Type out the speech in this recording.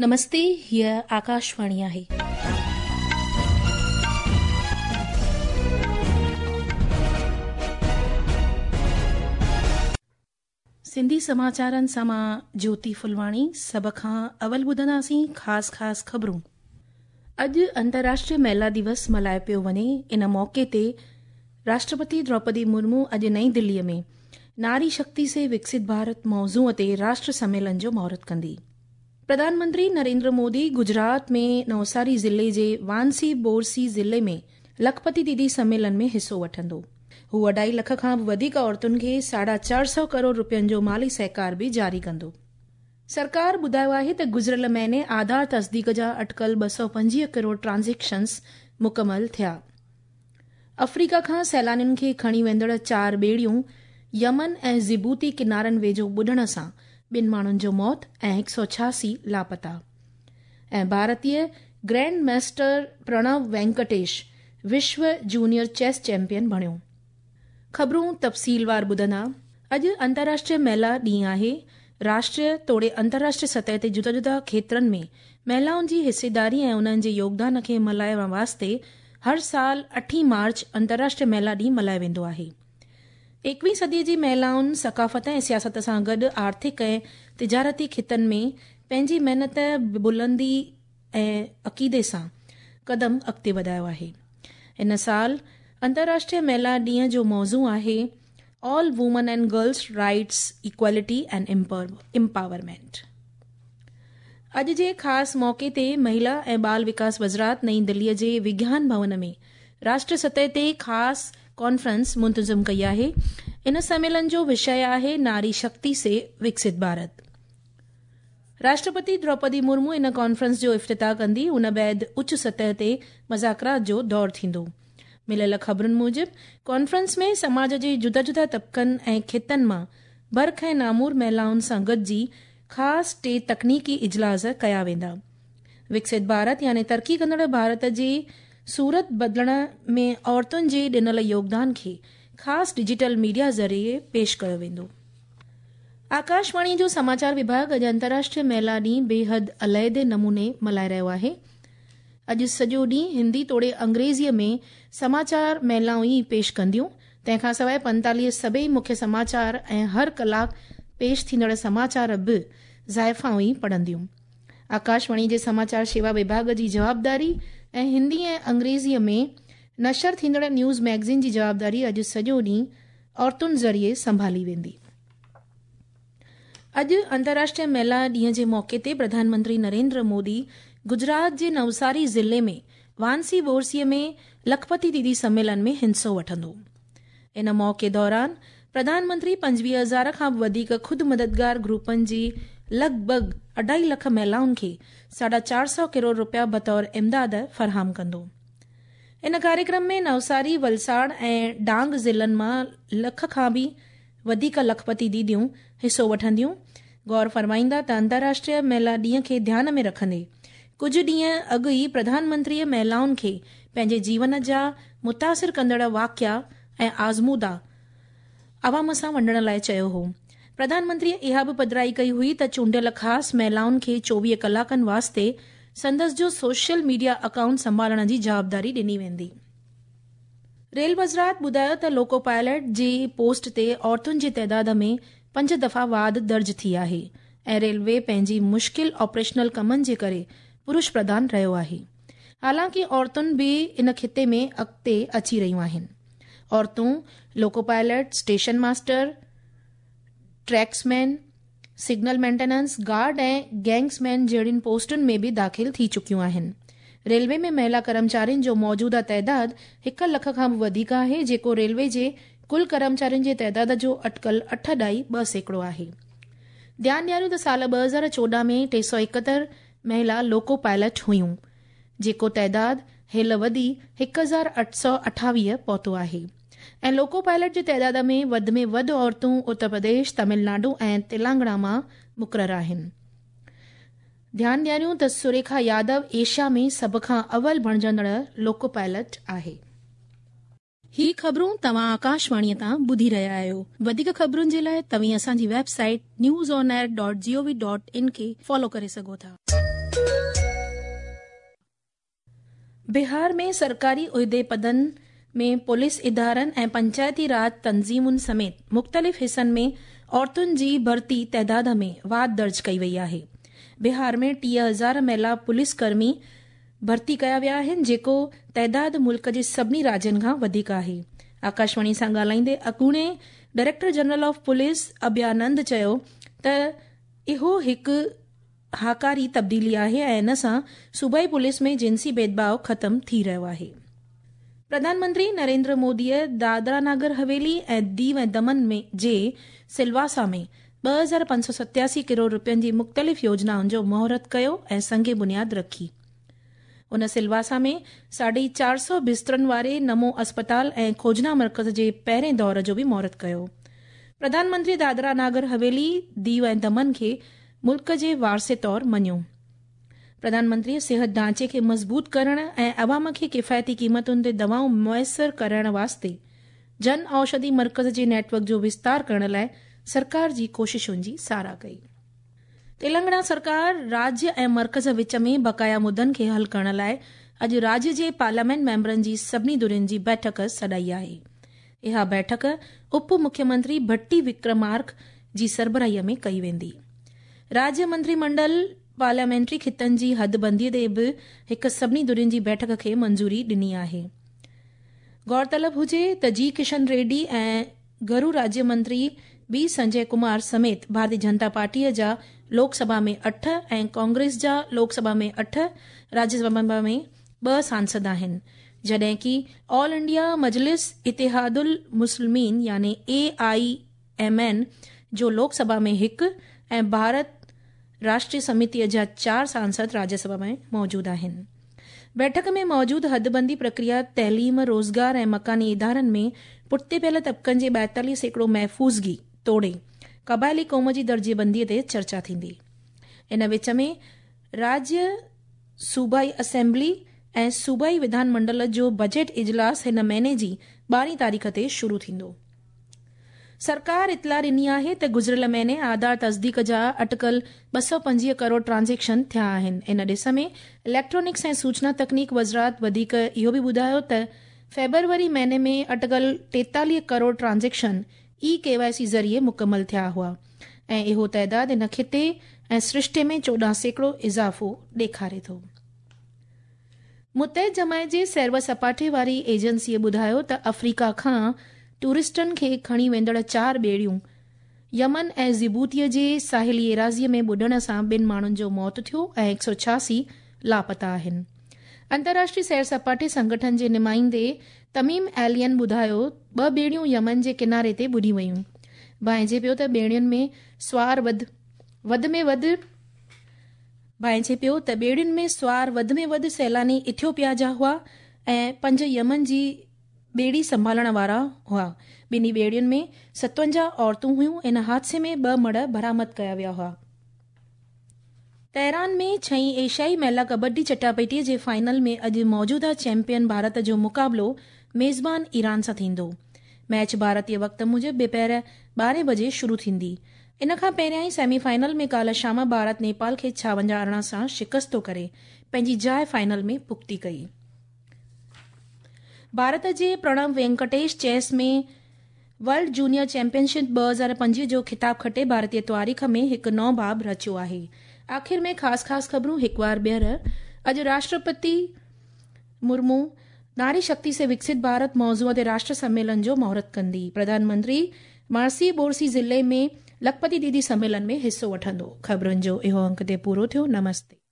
نمستي هيء آڪاشواڻي آهي. سنڌي سماچارن سان مان جيوتي ڦلواڻي سڀ کان اول ٻڌنداسين خاص خاص خبرون. اڄ انترراشٽريه مهلا دوس ملهايو پيو وڃي ان موقعي تي راشٽرپتي دروپدي مرمو اڄ نئين دلي ۾ ناري شڪتي سي وڪست ڀارت موضوع تي راشٽر سميلن جو مهورت ڪندي. پرڌان منتري نريندر مودي گجرات ۾ نوساري ضلعي جي وانسي بورسي ضلعي ۾ لکپتي ديدي سميلن ۾ حصو وٺندو. هو اڍائي لک کان به وڌيڪ عورتن کي 450 ڪروڙ رپين جو مالي سهڪار به جاري ڪندو. سرڪار ٻڌايو آهي ته گذريل مهيني آڌار تصديق جا اٽڪل 225 ڪروڙ ٽرانزيڪشنز مڪمل ٿيا. آفريڪا کان سيلانين کي کڻي ويندڙ چار ٻيڙيون يمن ۽ جبوتي ڪنارن ويجهو ٻڏڻ سان ٻن ماڻهن جو موت ۽ 186 لاپتا. ۽ ڀارتيه گرينڊ ماسٽر پرڻو وينڪٽيش وشو جونيئر چيس چيمپيئن بڻيو. خبرون تفصيلوار ٻڌندا. اڄ انترراشٽريه مهلا ڏينهن آهي. راشٽريه توڙي انترراشٽريه سطح تي جدا جدا کيترن ۾ مهلائن جي حصيداري ۽ انهن جي يوگدان کي ملهائڻ واسطي هر سال 8 مارچ انترراشٽريه مهلا ڏينهن ملهايو ويندو آهي. 21 صديء جي مهلائن ثقافت ۽ سياست سان گڏ آرٿڪ ۽ تجارتي خطن ۾ پنهنجي محنت، بلندي ۽ عقيدي سان قدم اڳتي وڌايو آهي. هن سال انترراشٽريه مهلا ڏينهن جو موضوع آهي all women and girls rights, equality and empowerment. اڄ جي خاص موقعي تي مهلا ۽ ٻال وڪاس وزارت نئين دلي جي وگيان ڀون ۾ راشٽر سطح تي خاص ڪانفرنس منتظم ڪئي آهي. ان سميلن جو وشيه آهي ناري شڪتي سي وڪست ڀارت. راشٽرپتي دروپدي مرمو ان ڪانفرنس جو افتتاح ڪندي. ان بعد اچ سطح تي مذاڪرات جو دور ٿيندو. مليل خبرن موجب ڪانفرنس ۾ سماج جي جدا جدا طبقن ۽ خطن مان برک ۽ نامور مهلائن سان گڏجي خاص ٽي تڪنيڪي اجلاس ڪيا ويندا. وڪست ڀارت يعني ترقي ڪندڙ ڀارت جي صورت بدلڻ ۾ عورتن جي ڏنل يوگدان کي خاص ڊجيٽل ميڊيا ذريعي پيش ڪيو ويندو. آڪاشواڻي جو سماچار وڀاڳ اڄ انترراشٽريه مهلا ڏينهن بيحد عليحدي نموني ملهائي رهيو آهي. اڄ سڄو ڏينهن هندي توڙي انگريزيء ۾ سماچار مهلائون ئي پيش ڪنديون. تنهن کان سواء 45 سڀئي مکيه سماچار ۽ هر ڪلاڪ پيش ٿيندڙ سماچار به زائفائون ئي پڙهنديون. آڪاشواڻي جي سماچار شيوا وڀاڳ جي جوابداري ۽ هندي ۽ انگريزيء ۾ نشر ٿيندڙ نيوز ميگزين جي جوابداري اڄ سڄو ڏينهن عورتن ذريعي سنڀالي ويندي. اڄ انترراشٽريه مهلا ڏينهن جي موقعي تي پرڌان منتري نريندر مودي گجرات جي نوساري ضلعي ۾ وانسي بورسي ۾ لکپتي ديدي سميلن ۾ حصو وٺندو. ان موقعي دوران پرڌان منتري 25,000 کان به وڌيڪ خود مددگار گروپن جي لڳ ڀڳ 2.5 لک مهلائن کي 450 ڪروڙ رپيا بطور امداد فراهم ڪندو. ان ڪاريڪرم ۾ نوساري، ولساڙ ۽ ڊانگ ضلعن مان لک کان به وڌيڪ لکپتي ديديون حصو وٺنديون. غور فرمائيندا ته انترراشٽريه مهلا ڏينهن کي ڌيان ۾ رکندي ڪجهه ڏينهن اڳ ئي پرڌان منتريء مهلائن کي پنهنجي جيون جا متاثر ڪندڙ واقعا ۽ آزمودا عوام سان ونڊڻ لاء چيو هو. پرڌان منتريء اها به پڌرائي ڪئي هئي ته چونڊيل خاص مهلائن کي 24 ڪلاڪن واسطي سندس جو سوشل ميڊيا اڪائونٽ سنڀالڻ جي جوابداري ڏني ويندي. ريل وزارت ٻڌايو ته لوڪو پائلٽ جي پوسٽ تي عورتن جي تعداد ۾ 5 دفعا واڌ درج ٿي آهي ۽ ريلوي پنهنجي مشڪل آپريشنل ڪمن جي ڪري پرش پرڌان رهيو آهي. حالانڪه عورتن به ان خطي ۾ اڳتي اچي رهيون آهن. عورتون loco pilot, station master, tracksman, signal maintenance, guard ۽ gangsman جهڙين پوسٽن ۾ به داخل ٿي چڪيون آهن. ريلوي ۾ مهلا ڪرمچارين جو موجوده تعداد 1 لک کان به وڌيڪ آهي، جيڪو ريلوي جي ڪل ڪرمچارين جي تعداد جو اٽڪل 8.2% آهي. ڌيان ڏياريون ته سال 2014 ۾ 371 مهلا لوڪو پائلٽ هيون، جيڪو تعداد هيل وڌي 1828 پهتو آهي ۽ لوڪو پائلٽ جي تعداد ۾ وڌ ۾ وڌ عورتون اتر پرديش، تامل ناڊو ۽ تيلنگانا مان مقرر آهن. ڌيان ڏياريون ته سريکا يادو ايشيا ۾ سڀ کان اول بڻجندڙ لوڪو پائلٽ آهي. هي خبرون توهان آڪاشواڻيء تان ٻڌي رهيا آهيو. وڌيڪ خبرن جي لاء توهين اسان جي website news on air dot G O V dot in کي فالو ڪري سگهو ٿا. بهار ۾ سرڪاري عهدي پدن ۾ پوليس ادارن ۽ پنچائتي راڄ تنظيمن سميت مختلف حصن ۾ عورتن جي ڀرتي تعداد ۾ واڌ درج ڪئي وئي آهي. بهار ۾ 30,000 مهلا پوليس ڪرمي ڀرتي ڪيا ويا آهن، جيڪو تعداد ملڪ جي سڀني راجين کان وڌيڪ آهي. آڪاشواڻي سان ڳالهائيندي اڳوڻي director general of police Abhayanand چيو ته اهو هڪ هاڪاري تبديلي آهي ۽ ان سان صوبائي پوليس ۾ جنسي ڀيدڀاء ختم ٿي رهيو آهي. پرڌان منتري نريندر موديء دادرا ناگر حويلي ۽ ديو ۽ دمن جي سلواسا ۾ 2587 ڪروڙ رپين جي مختلف يوجنائن جو مهورت ڪيو ۽ سنگ بنياد رکي. ان سلواسا ۾ 450 بسترن واري نمو اسپتال ۽ کوجنا مرڪز جي پهرين دور جو به مهورت ڪيو. پرڌان منتري دادرا ناگر حويلي، ديو ۽ دمن کي ملڪ جي وارثي طور مڃيو. پرڌان منتري صحت ڍانچي کي مضبوط ڪرڻ ۽ عوام کي ڪفايتي قيمتن تي دوائون ميسر ڪرڻ واسطي جن اوشڌي مرڪز جي نيٽ ورڪ جو وستار ڪرڻ لاء سرڪار جي ڪوششن جي ساراهه ڪئي. تيلنگانا سرڪار راجيه ۽ مرڪز وچ ۾ بقايا مدن کي حل ڪرڻ لاء اڄ راجيه جي پارليامينٽ ميمبرن جي سڀني ڌرين جي بيٺڪ سڏائي آهي. اها بيٺڪ اپ مکيه منتري ڀٽي وڪرمارڪ جي سربراهي ۾ ڪئي ويندي. راجيه منتري منڊل پارليامينٽري خطن جي حد بندي تي به هڪ سڀني ڌرين جي بيٺڪ کي منظوري ڏني آهي. غور طلب هجي ته جي ڪشن ريڊي ۽ گهرو راجيه منتري بي سنجي ڪمار سميت ڀارتي جنتا پارٽيء جا لوڪ سڀا ۾ اٺ ۽ ڪانگريس جا لوڪ سڀا ۾ اٺ، راجيه سڀا ۾ ٻه سانسد آهن، جڏهن ڪي آل انڊيا مجلس اتحاد المسلمين يعني اي I M N جو لوڪ سڀا ۾ هڪ ۽ ڀارت راشٽريه سميتيء جا چار سانسد راجيه سڀا ۾ موجود آهن. بيٺڪ ۾ موجود حدبندي پرڪريا، تعليم، روزگار ۽ مڪاني ادارن ۾ پٺتي پيل طبقن جي 42% محفوظگي توڙي قبائلي قوم جي درجي بندي تي چرچا ٿيندي. ان وچ ۾ راجيه صوبائي اسيمبلي ۽ صوبائي وڌان منڊل جو بجيٽ اجلاس هن مهيني جي ٻارهين تاريخ تي شروع ٿيندو. سرڪار اطلاع ڏني آهي ته گذريل مهيني آڌار تصديق جا اٽڪل 225 ڪروڙ ٽرانزيڪشن ٿيا آهن. ان ڏس ۾ اليڪٽرانڪس ۽ سوچنا تڪنيڪ وزارت وڌيڪ اهو به ٻڌايو ته فيبروري مهيني ۾ اٽڪل 43 crore transaction e K Y C ذريعي مڪمل ٿيا هئا ۽ اهو تعداد ان خطي ۽ سرشتي ۾ 14% اضافو ڏيکاري ٿو. متحد جماعت جي سير و سپاٽي واري ايجنسيء ٻڌايو ته آفريڪا کان ٽوئرسٽن کي کڻي ويندڙ چار ٻيڙيون يمن ۽ جبوتيء جي ساحلي ايراضيء ۾ ٻڏڻ سان ٻن ماڻهن جو موت ٿيو ۽ 186 لاپتا آهن. انترراشٽري سير سپاٽي سنگٺن جي نمائندي تميم ايلين ٻڌايو ٻه ٻيڙيون يمن جي ڪناري تي ٻڏي ويون. ڀانئجي پيو ته ٻيڙين ۾ سوار وڌ وڌ ۾ وڌ ڀانئجي پيو ته ٻيڙين ۾ سوار وڌ ۾ وڌ سيلاني ايٿيوپيا جا هئا ۽ پنج يمن جي ٻيڙي سنڀالڻ وارا هئا. ٻنهي ٻيڙين ۾ 57 عورتون هيون. ان حادثي ۾ ٻه مڙهه برآمد ڪيا ويا هئا. تهران ۾ ڇهين ايشيائي مهلا ڪبڊي چٽاڀيٽي جي فائنل ۾ اڄ موجوده چيمپيئن ڀارت جو مقابلو ميزبان ايران سان ٿيندو. ميچ ڀارتي وقت موجب ٻپهر ٻارهين بجي شروع ٿيندي. ان کان پهريائين سيمي فائنل ۾ ڪالهه شام ڀارت نيپال کي 56 18 سان شڪستو ڪري پنهنجي جاء فائنل ۾ پختي ڪئي. ڀارت جي Pranav Venkatesh chess ۾ world junior championship 2025 جو خطاب کٽي ڀارتي تواريخ ۾ هڪ نئون باب رچيو آهي. آخر ۾ خاص خاص خبرون هڪوار ٻيهر اڄ راشٽرپتي مرمو ناري شڪتي سي وڪست ڀارت موضوع تي راشٽر سميلن جو مهورت ڪندي. پرڌان منتري مارسي بورسي ضلعي ۾ لکپتي ديدي سميلن ۾ حصو وٺندو. خبرن جو اهو انڪ تي پورو ٿيو. نمستي.